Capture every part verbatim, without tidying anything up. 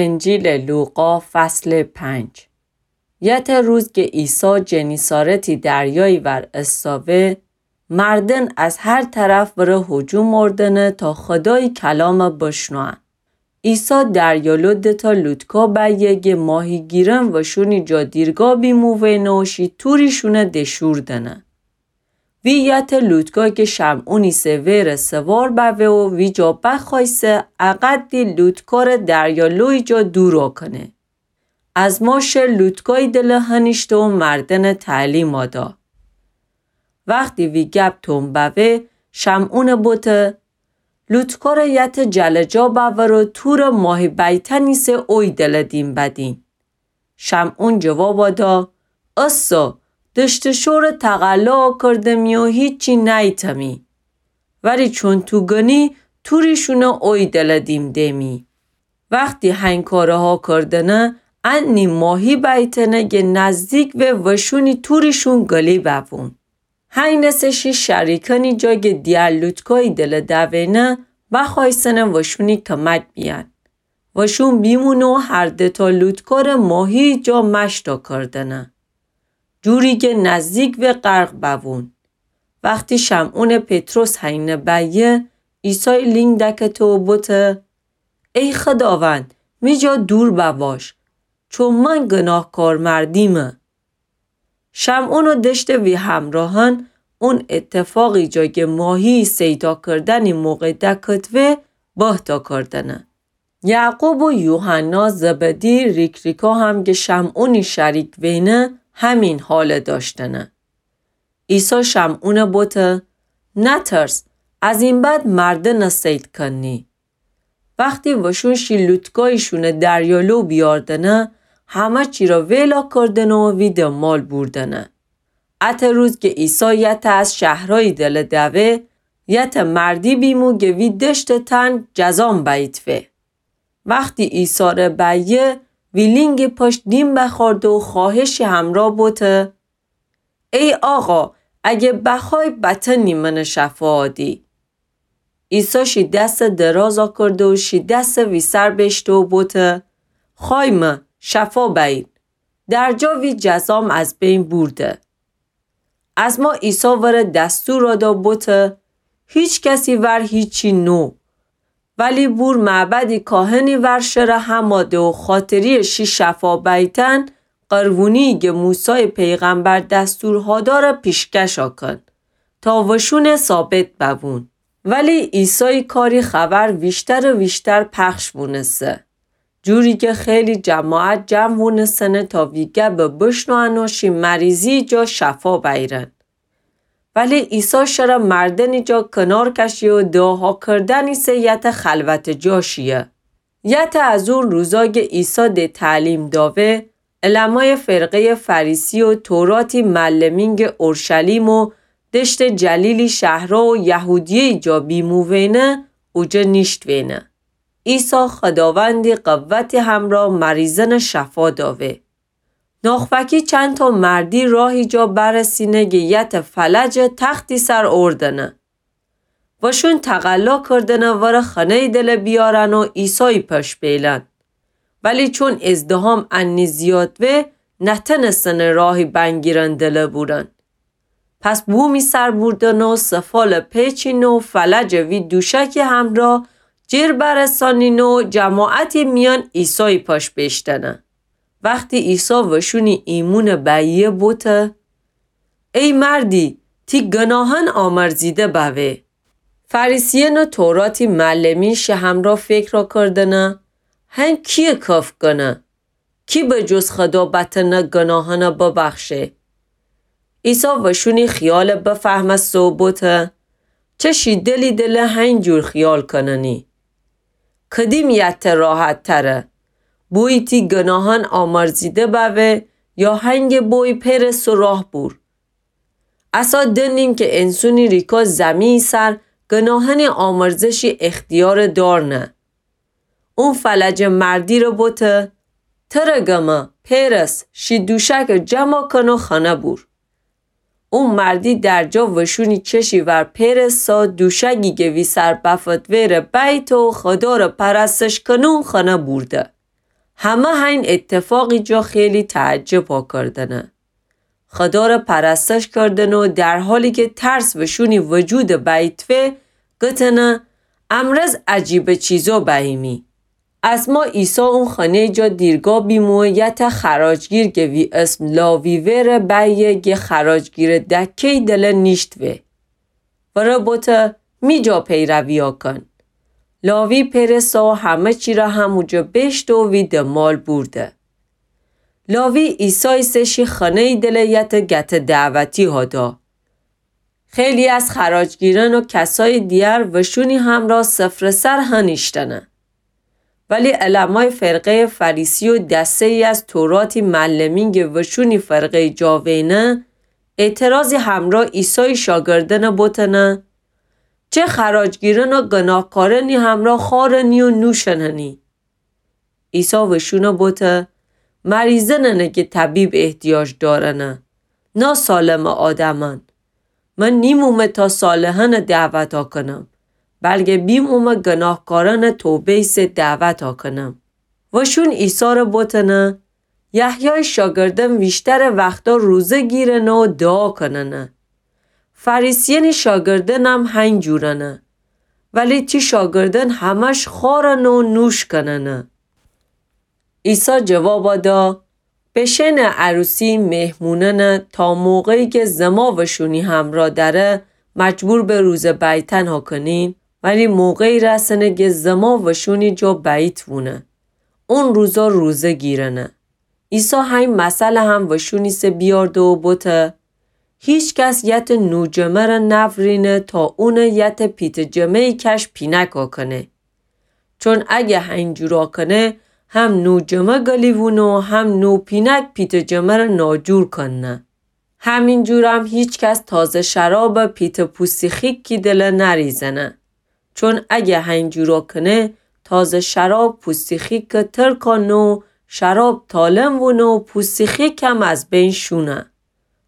انجیلٚ لوقا، فصلٚ پنج. یتأ روز کی عیسی جنیسارتی دریایی‌ور استاوه، مردن از هر طرف وره هجوم اوردنه تا خودایی کلامَ بشنوئن. عیسی دریالو دتأ لوطکا بأیه گه ماهیگیرأن وشونی جا دیرگا بیمووینه و شی توریشونَ دشوردنه. وی یتأ لوطکا کی شمعونی سه وئره سوار بوه و ویجا بخوأیسه، اقدی لوطکارَ دریالویی جا دورا کنه. از ما شه لوطکایی دله هنیشته و مردنَ تعلیما دا. وختی وی گب توم بوه، شمعونَ بوته، لوطکارَ یتأ جلجا بأور و تورَ ماهی بأیتنی سه اوی دله دیم بدین. شمعون جوابا دا، اسه، دشت و شورَ تقلا کردمی و هیچی نأیتمی. ولی چون تو گنی، توریشونَ اوی دله دیم دیمی. وختی هنی کارَ ها کردنه، انی ماهی بأیتنه گه نزدیک وه وشونی توریشون گلی بوون. هینه سه شی شریکأنی جا گه دیگر لوطکایی دله دوینه، بخوأیسنه وشونی کمک بیأن. وشون بیمونه و هر دتأ لوطکارَ ماهیی جا مشتأ کردنه، جوری گه نزدیک وه غرق بوون. وختی شمعونٚ پطرس هینه بأیه، عیسای لینگ دکته و بوته، ای خوداوند، می جا دور بواش، چون من گناهکار مردیمه. شمعون و دشتٚ وی همراهأن اون اتفاقی جا گه ماهیی صیدا کردنی موقع دکتوه، بهتا کردنه. یعقوب و یوحنا زبدی ریک‌ریکا هم گه شمعونی شریک وینه، همین حالَ داشتنه. عیسی شمعونَ بوته، نترس، از این بعد مردنَ صید کنی. وختی وشون شی لوطکاییشونَ دریالو بیاردنه، همه چی را ویلا کردنه و وی دنبال بوردنه. اتأ روز گه عیسی یتأ از شهرایی دله دوه، یتأ مردی بیمو گه وی دشتٚ تن جذام بأییتوه. وختی عیسی ره بأیه، وی لینگٚ پشت دیم بخوأرده و خوأهشی همرا بوته، ای آقا، اگه بخوأی بتأنی منَ شفا آدی. عیسی شی دسَ درازَ کرده و شی دسَ وی سر بشته و بوته، خوأیمه، شفا بأیین. در جا وی جذام از بین بورده. از ما عیسی وره دستور آدا بوته، هیچ کسی ور هیچی نو. ولی بور معبدی کاهنی ور شره هماده و خاطریٚ شی شفا بأیتن قربونیی گه موسایٚ پیغمبر دستور هاداره پیشکشَ کن تا وشونَ ثابت بوون. ولی عیسایٚ کاری خبر ویشترٚ ویشتر پخش بونسه، جوری گه خیلی جماعت جمع بونسنه تا وی گبَ بشنوئن و شی مریضیٚ جا شفا بأیرن. ولی عیسی شره مردنٚ جا کنار کشیه و دعاها کردنیٚ سه یتأ خلوتٚ جا شیه. یتأ از اون روزا گه عیسی ده تعلیم داوه، علمایٚ فرقه‌یٚ فریسی و توراتی معلمین گه اورشلیم و دشتٚ جلیلی شهرا و یهودیه‌یٚ جا بیمووینه، اوجه نیشتوینه. عیسی خوداوندی قوتی همرا مریضأنَ شفا داوه. ناخوأکی چندتأ مردی راهی جا برسینه گه یتأ فلجَ تختی سر اوردنه. وشون تقلا کردنه وره خانه‌یٚ دله بیارن و عیسایٚ پش بیلن. ولی چون ازدحام انی زیاد وه، نتنستنه راهی بنگیرن دله بورن. پس بومی سر بوردنه و سفالَ پیچینه و فلجَ وی دوشکی همرا جر برسانینه و جماعتٚ میأن عیسایٚ پش بیشتنه. وختی عیسی وشونی ایمونَ بأیه بوته، ای مردی، تی گناهأن آمرزیده بوه. فریسیأن و توراتی معلمین شی همرا فکرَ کردنه، هن کیه کفٚ کنه؟ کی به جز خودا بتأنه گناهأنَ ببخشه؟ عیسی وشونی خیالَ بفهمسته و بوته، چه شی دلی دله هین جور خیال کننی؟ کدیم یتأ راحت‌تره؟ بویی تی گناهأن آمرزیده بوه یا هنگٚ بویی پیرس و راه بور؟ عصا دنیم کی انسونی ریکا زمی‌یٚ سر گناهأنی آمرزشی اختیارَ دارنه. اون فلجٚ مردی ره بوته، تره گمه، پیرس، شی دوشکَ جمع کن و خانه بور. اون مردی درجا وشونی چشی ور پیرسه، دوشکی گه وی سر بفتوه ره بیته و خودا ره پرستش کنون خانه بورده. همه هین اتفاقی جا خیلی تعجب کردنه. خدا ره پرستش کردنه و در حالی که ترس وشونی وجود بیتوه، گتنه: امرز عجیب چیزا بییمی. از ما عیسی اون خانه جا دیرگاه بیمو، یه تا خراجگیر گه وی اسم لاوی وره بیه، گه خراجگیر دکه‌ی دله نیشتوه. وره بوته: می جا پیرویا کن. لاوی پئر سا و همه چی ره همو جا بیشته و وی دمال بورده. لاوی عیسی ایسه شی خانه‌ی دله یه تا گته دعوتی هادا. خیلی از خراجگیران و کسای دیگر وشونی همرا سفره‌سر هنیشتنه. ولی علمای فرقه‌ی فریسی و دسته‌ای از توراتی معلمین گه وشونی فرقه‌ی جا وینه، اعتراضی همرا عیسای شاگردان بوتنه: چه خراجگیران و گناهکارانی همرا خارنی و نوشننی؟ عیسی وشونه بوته: مریضانه گه طبیب احتیاج دارنه، نه سالم آدمان. من نیمومه تا صالحان دعوتا کنم، بلکه بیمومه گناهکاران توبه ایسه دعوتا کنم. وشون عیسی ره بوتنه: یحیای شاگردان ویشتر وختا روزه گیرنه و دعا کننه. فریسیانی شاگردانم هین جورنه، ولی تی شاگردان همش خارنه و نوش کننه. عیسی جوابا دا: بشینه عروسی مهمونانه تا موقعی که زما وشونی همرا دره مجبور به روزه بیتن هاکنین، ولی موقعی رسنه که زما وشونی جا بیت وونه. اون روزا روزه گیرنه. عیسی هین مثل هم وشونی سه بیارده و بوته: هیچ کس یت نوجمه ره نورینه تا اونه یت پیته جمه‌ی کش پینک آکنه. چون اگه هین جورا کنه، هم نوجمه گلی وونه و هم نوپینک پیته جمه ره ناجور کنه. همین جورم هیچ کس تازه شراب پیته پوستی خیکی دله نریزنه. چون اگه هین جورا کنه، تازه شراب پوستی خیک تر کانه و شراب تالم وونه و پوستی خیکم از بین شونه.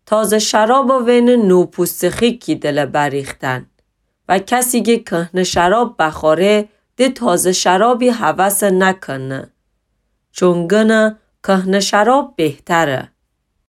تازه شراب وینه نوپوستی خیکی دله بریختن. و کسی که کهنه شراب بخوره، ده تازه شرابی هوس نکنه. چون گنه کهنه شراب بهتره.